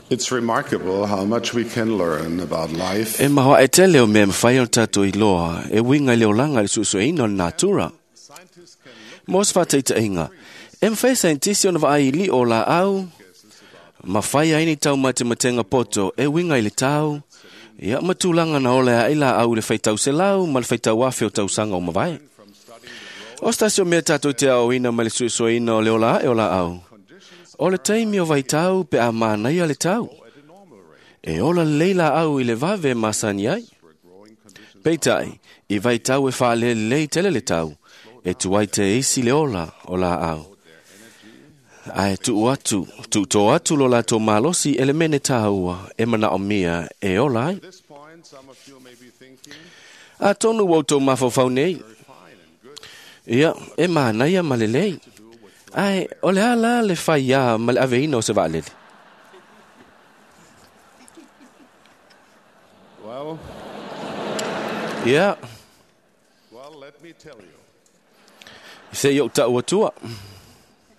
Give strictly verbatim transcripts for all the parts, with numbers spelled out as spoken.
It's remarkable how much we can learn about life E mahoa e tele o mea mawhai o tātou i loa, e winga i le olanga i le suesueina o le natura. Mo se whātaitainga, e mwhai scientist ona vaai li o la au, ma whai ai ni tau mate matenga poto, e winga i le tau, ia matulanga na ole ai la au le whaitau se lau, ma le whaitau afe o tausanga o mawai. O stasio mea tātou te ao ina ma le suesueina o le ola e o la au. O le taimi o vaitau pe a mānaia le tau. E ola leila au i le vave masani ai. Peitai, i vaitau e whaale lei tele le tau, e tuai te isi le ola o la au. Ae tuu atu, tuu tō atu lo la tō malosi ele mene tāua e mana o mia e ola ai. At this point, some of you may be thinking, A tonu wau tō mawhawhau nei. fine and good Ia, e mānaia ma le lei. Ae, o le ala le whai ia ma le aveina o se vaalele. Well, Ia, well, let me tell you. se i o tau atua.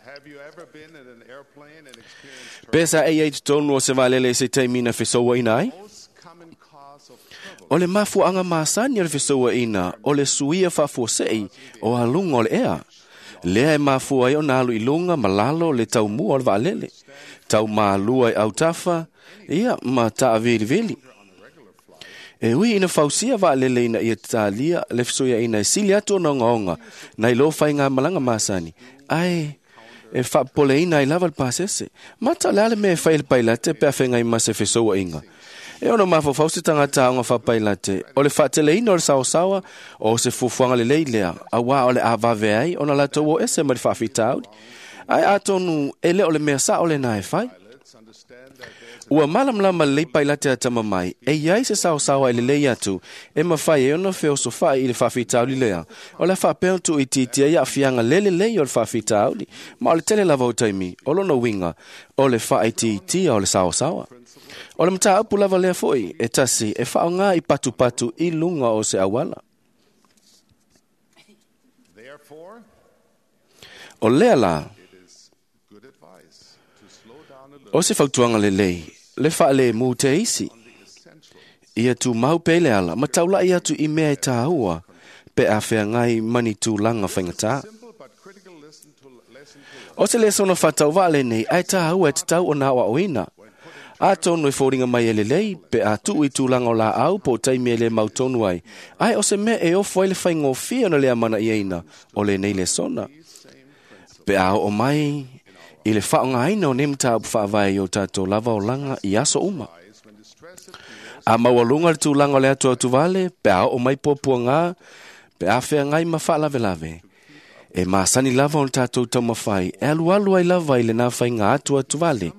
Have you ever been in an airplane and experienced Pesa e ei tonu o se vaalele se taimina fesoua ina ai. most common cause of turbulence O le mafuanga masani o le fesoua ina, o le suia faafuasei o alunga o le ea. Lea e mafua ai o nā alu i lunga ma lalo le taumua o le vaalele. Tau mālua i autafa, ia ma taavilivili. E ui ina fausia vaalele ina ia talia le fesoia ina e sili atu o ongaonga, nai lo whai ngā malanga masani. Ai, e whaapole ina i lava le pasese. Mata le ale me e whai le pailate pe a whengai ma se fesoua inga. E ono mawhawhau se tangata aonga whapailate. O le whaatele ina o le saosaoa o se fufuanga le leilea. A wā o le awave ai o na latou o ese ma le whaafitauri. Ai atonu e le o le mea sa o le nā e whai. pilots understand that there's Ua malamlama lei pailate a tama mai, e iai se saosaoa i le lei atu, e mawhai e ona feosofai i le whaafitauri lea. O le whaapeo tu i titia ia whianga lele lei o le whaafitauri, ma o le tele lava o taimi, o lono winga, o le whaitiitia o le saosaoa. O le mata apu lava lea foi, e tasi, e whaonga i patupatu i lunga o se awala. therefore O lea la, it is good advice to slow down a little o se fautuanga le lei, le whaale mū te isi. on the essential Ia tū mau pele ala, ma taulai atu i mea e tāua, pe a whea ngai mani tūlanga whaingatā. simple but critical listen to lesson to learn. O se le sono whatau wale nei, ai tāua e te tau o nā wa oina. A tonu e fōringa mai e le lei, pe a tuu i tūlanga o la au, po taimi e le mautonu ai. Ai o se mea e ofo ai le whaingofia na lea mana i eina, o le nei le sona. Pe a o mai, i le whaongaina o ne mtāupu whaavae i o tātou lava o langa i aso uma. When distress appears, A maualunga le tūlanga o le atu atu vale, pe a o mai pōpua ngā, pe a whea ngai ma whaalawelawe. E māsani lava o le tātou taumawhai, e alu alu ai lava i le nā whai ngā atu atu vale.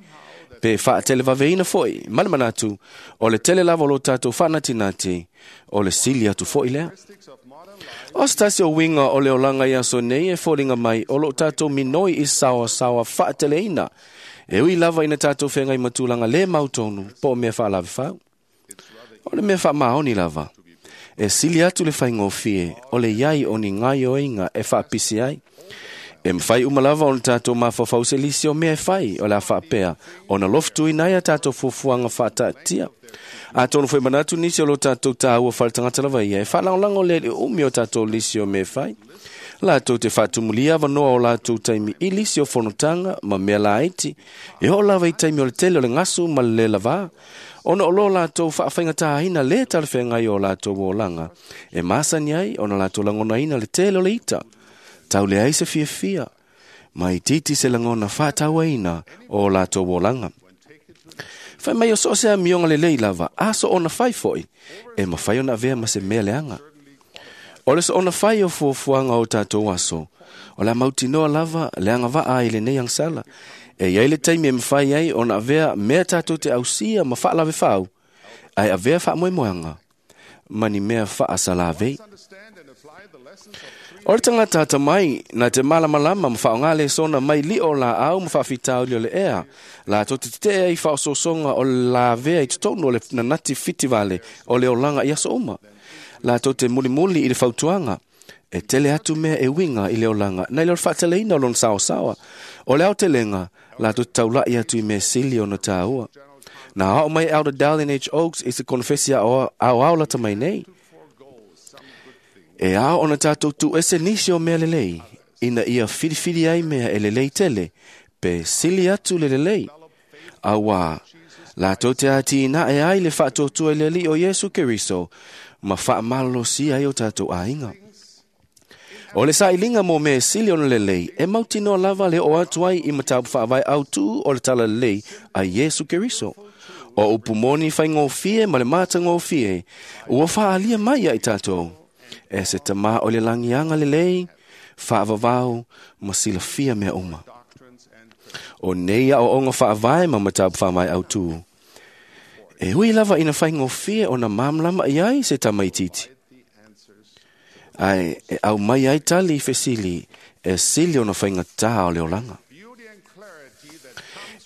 Pe whaatele waweina foi, mana mana atu, o le tele lava o lo tātou whaanatinati, o le sili atu foi lea. characteristics of modern life O se tasi o winga o le olanga i aso nei e fōringa mai o lo tātou minoi i sawa sawa whaateleina. E ui lava ina tātou whengai matulanga le mautonu, po o mea whaalawe whau. O le mea whaamaoni lava. E sili atu le whaingofie, o le iai o ni ngai o inga e whaapisi ai. E mwhai umalava o le tātou mawhawhau se lisi o mea e whai o le a whaapea, o na loftu i nai a tātou fufuanga whaatatia. A tōnu whai manatu nisi o lo tātou tāua whaletangata lava ia, e whalangolango le le umi o tātou lisi o mea e whai. Lātou te whaatumulia wanoa o lātou taimi i lisi o fonotanga ma mea lāiti. E ho lava i taimi o le tele o le ngasu ma le le lava. Ona o lo lātou whaawhaingatāhina le talawhengai o lātou o langa. E māsani ai ona lātou langonaina le tele o le ita. Tau le ai se fiafia. Mai titi se langona whaatauaina o lātou o langa. Whai mai o so se a mionga le lei lava, a so ona whai foi, e mawhai ona vea ma se mea leanga. O le so ona whai o fuafuanga o tātou aso, o la mautinoa lava, leanga waa i le nei angsala. E iai le taimi e mwhai ai ona avea mea tātou te ausia ma whaalawe whau, ai avea whaamoemoeanga, mani mea whaasalavei. understand and apply the lessons of three O le tangata ata mai, na te malamalama ma whaongale sona mai li o la au ma whaafitauli o le ea. La tō te te i whaososonga o la vea i totonu o le nanati fitivale o le olanga i aso uma. La tō te mulimuli i le fautuanga. E tele atu mea e winga i le olanga. Nei le o le whaateleina o lona saosaoa. O le aotelenga, la tō te taulai atu i mea sili o na tāua. Na ao mai Elder Dallin H. Oaks i se konfesi ao ao lata mai nei. E ao ona tātou tu ese nisi o mea lelei, ina ia filifili ai mea e lelei tele, pe sili atu le lelei. Auā, latou te ati ina e ai le faatotua i le alii o Iesu Keriso, ma faamalolosia ai o tātou aiga. O le sailiga mo mea e sili ona lelei, e mautinoa lava le oo atu ai i mataupu faavae autū o le talalelei a Iesu Keriso. O upu moni faigofie ma le matagofie, ua faaalia mai ia i tatou. E se tamā o le lagiaga lelei, faavavau ma silafia mea uma. O nei aoaoga faavae ma mataupu faavae autū. E ui lava ina faigofie ona malamalama i ai se tamaitiiti. Ae e aumai ai tali i fesili e sili ona faigatā o le olaga.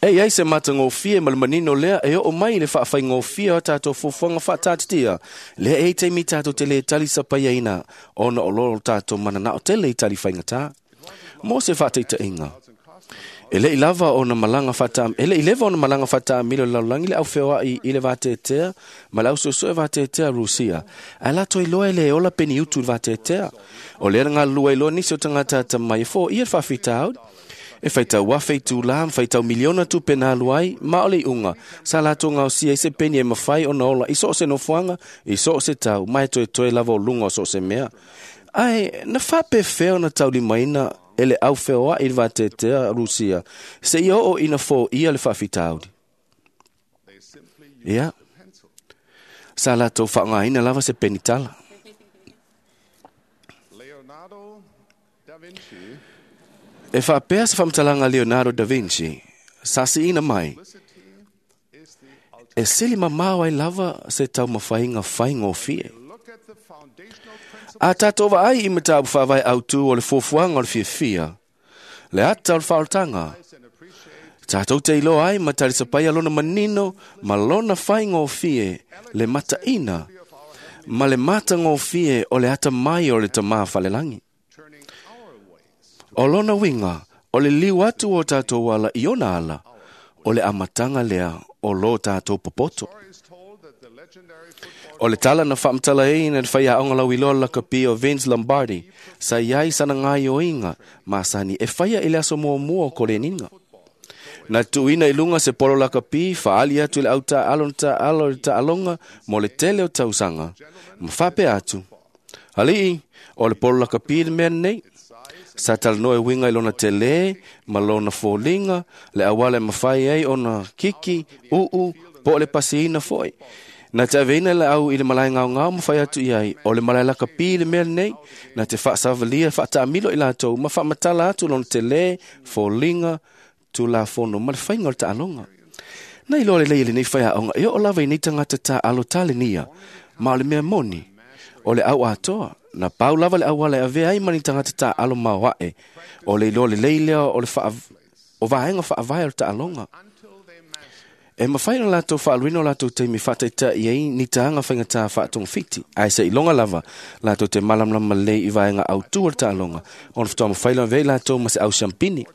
E i ai se matagofie ma le manino lea e oo mai i le faafaigofie o tatou fuafuaga faataatitia. Lea e i taimi tatou te lē tali sapaiaina ona o lo tatou mananao tele i tali faigatā. Mo se faataitaiga. E le'i lava ona malaga faata e le'i leva ona malaga faataamilo i le lalolagi le aufeoa'i i le vateatea ma le ausuesue vateatea Rusia. Ae latou iloa e lē ola peniutu i le vateatea. O lea na galulue ai loa nisi o tagata atamai e foia le faafitauli. E faitau afe i tulā ma faitau miliona tupe na alu ai, ma o le iuga, sa latou gaosia ai se peni e mafai ona ola i so o se nofoaga, i so o se tau, ma e toetoe lava o luga o so o se mea. Ae na faapefea ona taulimaina e le aufeoa'i i le vateatea Rusia, seia oo ina foia le faafitauli. Ia, sa latou faaaogaina lava se penitala. Leonardo da Vinci E faapea se faamatalaga a Leonardo da Vinci, sa siina mai, is the e sili mamao ai lava se taumafaiga faigofie. look at the foundational principle A tātou vaai i mataupu faavae autū o le fuafuaga o le fiafia, le ata o le faaolataga, and appreciate tātou te iloa ai ma talisapaia lona manino ma lona faigofie le mataina ma le matagofie o le atamai o le tamā falelagi. turning our ways O lona uiga, o le liu atu o tātou ala i ona ala, o le amataga lea o lo tātou popoto. Story is told that the legendary football O le tala na faamatalaina e le faiaoga lauiloa lakapi o Vince Lombardi, sa i ai sana gaioiga masani e faia i le aso muamua o koleniga. Na tuuina i luga se polo lakapi, faali atu i le autaaalo na taaalo i le taaloga mo le tele o tausaga, ma faapea atu. Alii, o le polo lakapi le mea lenei. Sa talanoa e uiga i lona telē ma lona foliga, le auala e mafai ai ona kiki, uu, po o le pasiina foi. Na te aveina le au i le malae gaogao ma fai atu i ai, o le malae lakapi le mea lenei, na te faasavalia faataamilo i latou ma faamatala atu lona telē, foliga, tulafono ma le faiga o le taaloga. Na iloa lelei e lenei faiaoga e oo lava i nei tagata taalo talenia, ma o le mea moni, o le au atoa, na pau lava le auala e avea ai ma ni tagata taalo maoae, o le iloa lelei lea o le faa, o vaega faavae o le taaloga. until they master E mafai ona latou faaluina o latou taimi faataitai ai ni taga faigatā faatogafiti, ae seʻiloga lava latou te malamalama lelei i vaega autū o le taaloga, ona faatoa mafai lona avea i latou ma se au siampini.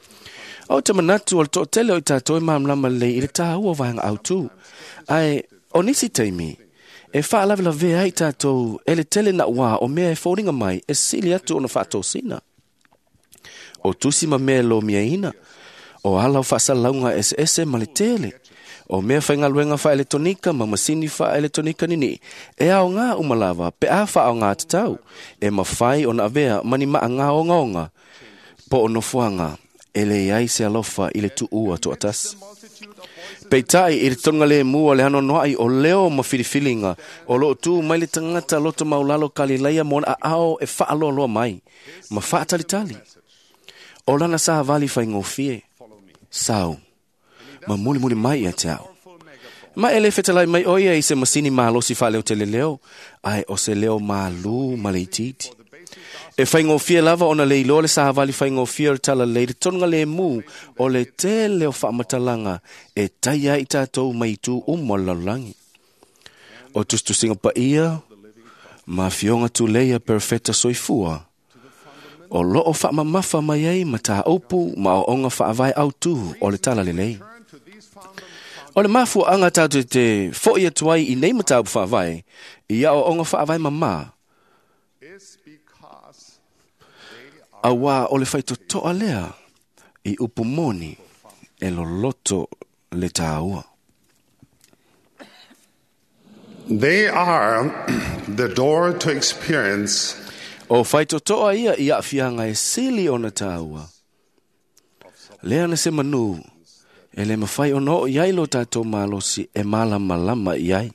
O te manatu o le toatele o i tatou e malamalama lelei i le tāua o vaega autū. Ae o nisi taimi, e faalavelavea ai tatou e le tele nauā o mea e foliga mai e sili atu ona faatosina. O tusi ma mea e lomiaina, o ala o faasalalauga eseese ma le tele, o mea faigaluega faaeletonika ma masini faaeletonika niniʻi, e aogā uma lava pe a faaogā tatau, e mafai ona avea ma ni maʻagā ogaoga, po o nofoaga e leai se alofa i le tuua toatasi. multitude of voices Peitai i le toga lemu o le anoanoaʻi o leo ma filifiliga o loo tu mai le tagata loto maulalo Kalilaia mo ona aao e faaloaloa mai ma faatalitali. O lana savali faigofie, sau, ma mulimuli mai ia te au. Ma e le fetalai mai o ia i se masini malosi faaleoteleleo, ae o se leo malū ma le itiiti. E faigofie lava ona le iloa le savali faigofie o le talalelei le tonuga lemu o le tele o faamatalaga e taia ai i tatou mai itu uma o le lalolagi. O tusitusiga paia ma afioga tuleia perofeta soifua, o loo faamamafa mai ai ma tāupu ma aoaoga faavae autū o le talalelei. turn to these foundam- O le mafuaʻaga tatou te foʻi atu ai i nei mataupu faavae i aʻoaʻoga faavae mamā is because they are auā o le faitotoa lea i upu moni e loloto le tāua. They are the door to experience O faitotoa ia i aafiaga e sili ona tāua. Lea na se manu e le mafai ona oo i ai lo tatou malosi e malamalama i ai.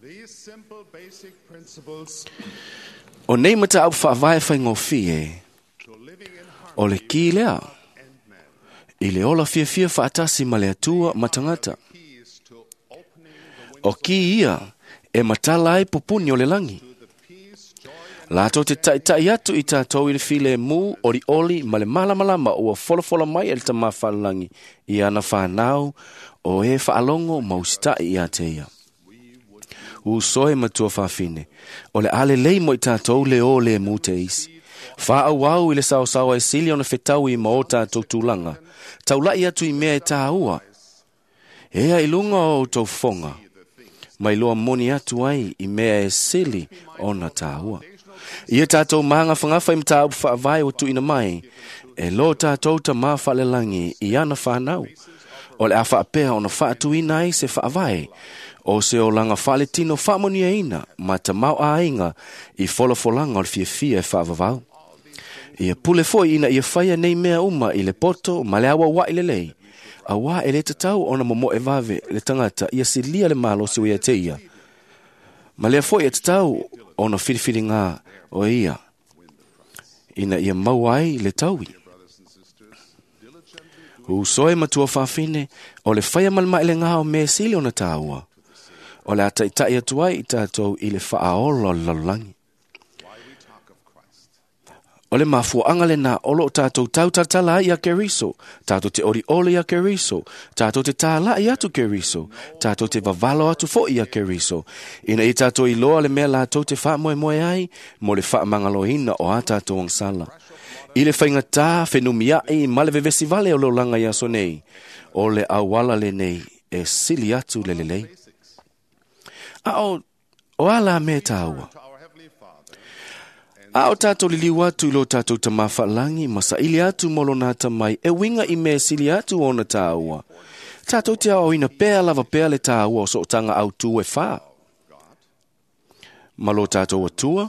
these simple basic principles O nei mataupu faavae faigofie to living in o le harmony ki lea and man. i le ola fiafia faatasi ma le Atua ma tagata. Keys to opening the O windows ki ia e matala ai pupuni o le lagi. to the peace, joy, and Latou te taʻitaʻi atu i tatou i le filemu olioli ma le malamalama ua folafola mai e le Tamā Fa'alelagi i ana fanau o e faalogo ma usitaʻi iā te ia. Uso e matua fafine, o le a lelei mo i tatou le o le mu te isi. Fa'aauau i le saosaoa e sili ona fetaui ma o tatou tulaga. Taulaʻi atu i mea e tāua. Ea i luga o outou fofoga, mai loa moni atu ai i mea e sili ona tāua. Ia tatou magafagafa i mataupu faavae ua tuuina mai, e lo tatou Tamā Fa'alelagi i ana fanau. O le a faapea ona faatuina ai se faavae, o se olaga faaletino faamanuiaina ma tamaoaiga i folafolaga o le fiafia e faavavau. Ia pule foi ina ia faia nei mea uma i le poto ma le auauaʻi lelei, auā e lē tatau ona momoʻe vave le tagata ia silia le malosi ua ia te ia. Ma lea foi e tatau ona filifiligā o ia, ina ia maua ai le taui. brothers and sisters, diligently Uso e matua fafine, o le faia ma le maelegā o mea sili ona tāua. O le a taʻitaʻi atu ai i tatou i le faaola o le lalolagi. why we talk of Christ. O le mafuaʻaga lenā o loo tatou tautalatala ai iā Keriso, tatou te olioli iā Keriso, tatou te tālaʻi atu Keriso, tatou te vavalo atu foʻi iā Keriso, ina ia tatou iloa le mea latou te faamoemoe ai mo le faamagaloina o a tatou agasala. I le faigatā fenumiaʻi ma le vevesi vale o le olaga i aso nei, o le auala lenei e sili atu le lelei. A o, o ala mea tāua. To our Heavenly Father, A o tatou liliu atu i lo tatou Tamā Fa'alagi ma saʻili atu mo lona atamai e uiga i mea sili atu ona tāua. Tatou te aoaoina pea lava pea le tāua o sootaga autū e fā. Ma lo tatou Atua,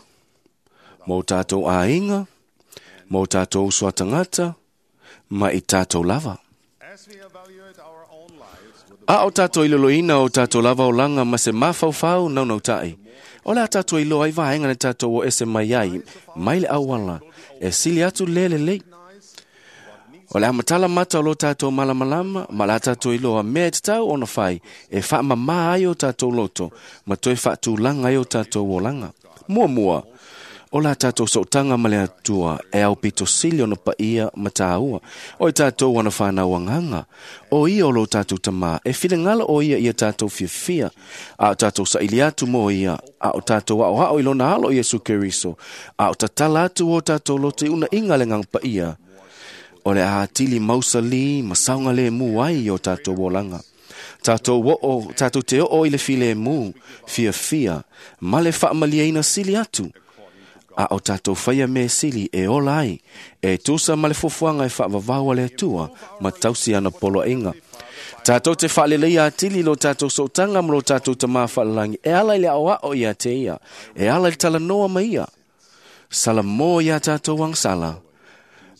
ma o tatou aiga, ma o tatou uso a tagata, ma i tatou lava. as we evaluate our own lives with the A o tatou iloloina o tatou lava olaga ma se mafaufau naunautaʻi. O le a tatou iloa ai vaega na tatou o ese mai ai, mai le auala, e sili atu le lelei. O le a matala mata o lo tatou malamalama, ma le a tatou iloa mea e tatau ona fai, e faamamā ai o tatou loto, ma toe faatulaga ai o tatou olaga. Muamua, o la tatou sootaga ma le Atua e aupito sili ona paia ma tāua. O i tatou ana whanau agaga, o ia o lo tatou Tamā, e finagalo o ia ia tatou fiafia, a o tatou saʻili atu mo ia, a o tatou aʻoaʻo i lona alo Iesu Keriso, a o tatala atu o tatou loto i unaiga le agaga paia. O le a atili mausalī ma saogalēmū ai i o tatou olaga. Tatou oo, tatou te oo i le filēmū, fiafia, ma le faamaliaina sili atu. A o tatou faia mea sili e ola ai, e tusa ma le fuafuaga e faavavau a le Atua ma tausi ana poloaiga. Tatou te faaleleia atili lo tatou sootaga ma lo tatou Tamā Fa'alelagi e ala i le aʻoaʻo iā te ia, e ala i le talanoa ma ia. Salamō iā tatou agasala,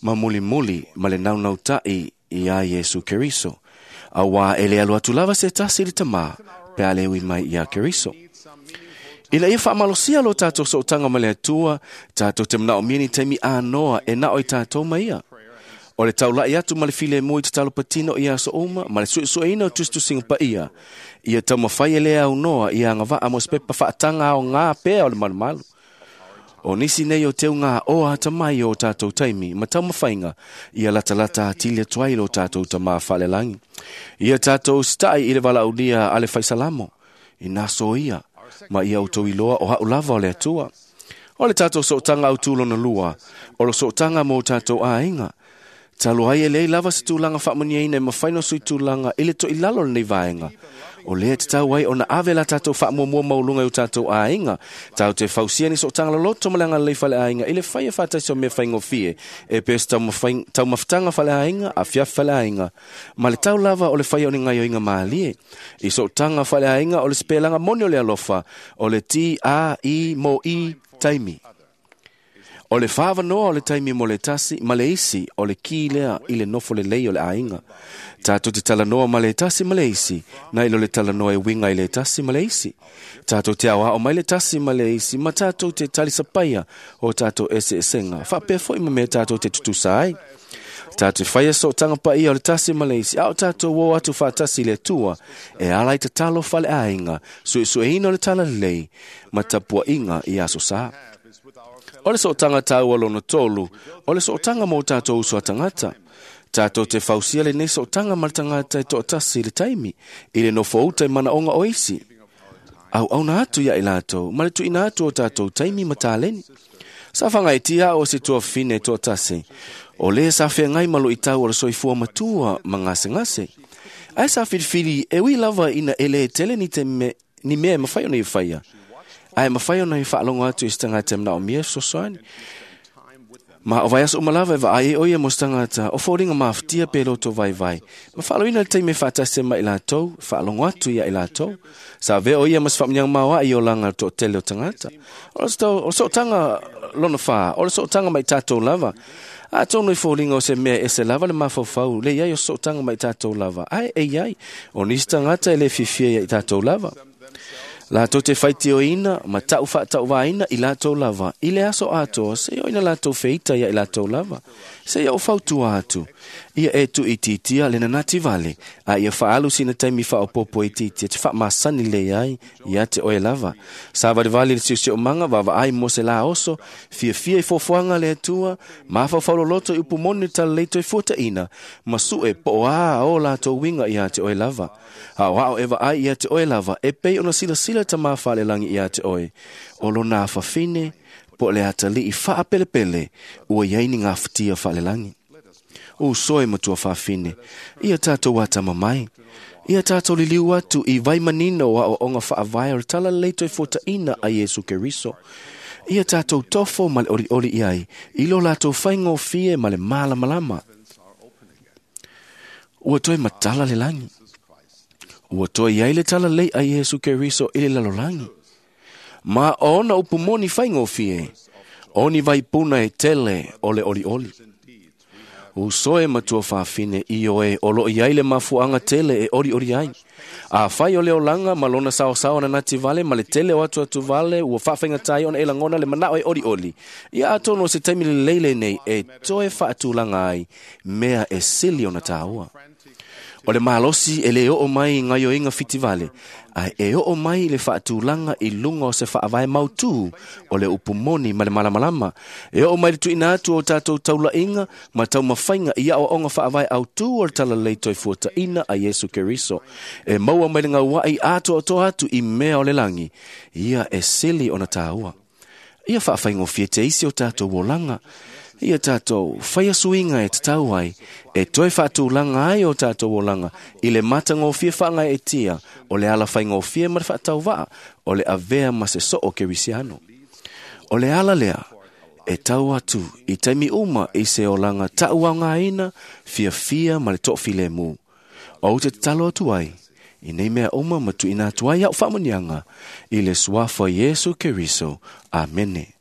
ma mulimuli ma le naunautaʻi iā Iesu Keriso. Auā e le alu atu lava se tasi i le Tamā, pe a le ui mai iā Keriso. Ina ia faamalosia lo tatou sootaga ma le Atua, tatou te manaomia ni taimi anoa e nao i tatou ma ia. O le taulaʻi atu ma le filemu i tatalo patino i aso uma, ma le suesueina o tusitusiga paia. Ia taumafai e le aunoa ia agavaa mo se pepa faataga aogā pea o le malumalu. O nisi nei o teuga o atamai o tatou taimi ma taumafaiga ia latalata atili atu ai lo tatou Tamā Fa'alelagi. Ia tatou sitaʻi i le valaaulia a le faisalamo, ina so ia, ma ia outou iloa o haʻu lava o le Atua. O le tatou sootaga autū lona lua, o le sootaga mo tatou aiga. Talu ai e leai lava se tulaga faamanuiaina e mafai ona suitulaga i le toilalo o lenei vaega. O lea e tatau ai ona ave la tatou faamuamua maualuga i o tatou aiga. Tatou te fausia ni sootaga loloto ma le agalelei faleaiga i le faia faatasi o mea faigofie e pei o se taumafataga faleaiga, afiafi faleaiga, ma le tau lava o le faia o ni gaoioiga malie. I sootaga faleaiga o le sipelaga moni o le alofa, o le T A I M I taimi. O le whāwanoa o le taimi mo le tasi ma le isi o le ki lea i le nofo lelei o le aiga. Tātou te talanoa ma le tasi ma le isi, nai lo le talanoa e winga i le tasi ma le isi. Tātou te aoao mai le tasi ma le isi, ma tātou te talisapaia o tātou ese esenga. Whaapea foi ma mea tātou te tutusa ai. Tātou whaia sootaga paia o le tasi ma le isi, ao tātou o atu whaatasi le Atua, e ala i tatalo fale aiga, suesueina o le talalelei, ma tapuainga i aso sa. O le sootaga tāua lona tolu, o le sootaga mo tātou uso a tagata. Tātou te fausia lenei sootaga ma le tagata e toatasi i le taimi, i le nofo uta i manaoga o isi. Auauna atu ia i latou, ma le tuuina atu o tātou taimi ma taleni. Sa whangaitia o se tuafine toatasi, o le sa whengai malo i tau o le soifua matua ma ngasengase. Ai sa whiriwhiri e ui lava ina ele e tele ni, te me, ni mea e mawhai ona i whaia. Ai mawhai ona i whaalongo atu i se tangata mna o mia sosoani. Ma o vai aso umalava e vaai e oia mo se tangata o fōringa mawhitia pe loto vai vai. Ma whaaloina le taimi whaatase ma i latou, whaalongo atu ia i latou. Sa vea o ia mas whaamnyang maua i o langa to tele o tangata. O le sootanga lona wha, o le sootanga mai tātou lava. A tōnu i fōringa o se mea e se lava le mafaufau, le iai o sootanga mai tātou lava. Ai e iai, o nisi tangata e le fiafia ia i tātou lava. Latou te whaitioina, ma tau whaatauvaina i latou lava. I le aso atoa, se oina latou feita ia i latou lava. Se ia o fautua atu. Ia e tu i titia le nanati vale. A ia whaalu sina taimi whaopopo i titia te whaamasani le ai ia te oe lava. Sa varivali le siusio manga, wawa ai mo se la oso, fia fia i fofoanga le atua, mawhawhauloloto i upumoni talaleito i fuataina, masue po a o latou winga ia te oe lava. Ao ao ewa ai ia te oe lava, e pei ona silasila ta mawhale langi ia te oe. O lona whawhine, po le atali i whaapelepele, ua iaini ngā whitia whale langi. O soe matua whawhine, ia tātou atama mai. Ia tātou liliu atu i vaimanino a o onga whaavai o le talalelei e fuataina a Iesu Keriso. Ia tātou tofo ma le oli oli iai, i lo latou whaingofie ma le malamalama. Ua toe matala le langi. Ua toe iai le talalelei a Iesu Keriso i le lalolangi. Ma ona upumoni whaingofie, oni vaipuna e tele o le oli oli. Usoe matua whawhine i oe o lo iai le mafuanga tele e ori ori ai. A whai o le olanga ma lona sao sao na nati vale ma le tele o atu atu vale ua whawhenga tai ona e langona le manao e ori ori. Ia atono se taimi le leile nei e toe whaatulanga ai mea e sili ona tāua. O le malosi e le oo mai ngaioinga fitivale, ai e oo mai le whaatulanga i lunga o se whaavae mautu o le upumoni ma le malamalama. E oo mai le tuina atu o tātou taulainga ma taumawhainga i ao onga whaavae autu o le talalei toi fuataina a Iesu Keriso. E maua mai le ngauai atu o toa atu i mea o le langi, ia e sili ona tāua. Ia whaawhaingofie te isi o tātou olanga. Ia tātou whaia suinga e tatau ai, e toe whaatulanga ai o tātou olanga, i le matangofie whaangai e tia, o le ala whaingofie ma le whaatauvaa, o le avea ma se soo kerisiano. O le ala lea, e tau atu i taimi uma i se olanga tau ngā fia fia ma le to'ofile mu. O te tatalo atu ai, i nei mea uma ma tuuina atu ai au whaamunianga, i le suafa Iesu Keriso. Amene.